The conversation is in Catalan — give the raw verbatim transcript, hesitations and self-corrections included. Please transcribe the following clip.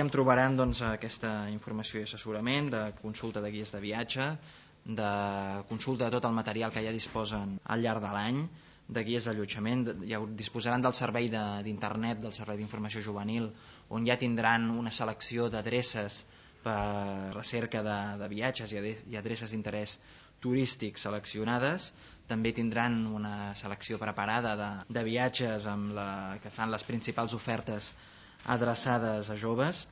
Hi em trobaran doncs, aquesta informació i assessorament, de consulta de guies de viatge, de consulta de tot el material que ja disposen al llarg de l'any, de guies d'allotjament, ja disposaran del servei d'internet, del servei d'informació juvenil, on ja tindran una selecció d'adreces per recerca de, de viatges i adreces d'interès turístic seleccionades. També tindran una selecció preparada de, de viatges amb la, que fan les principals ofertes adreçades a joves.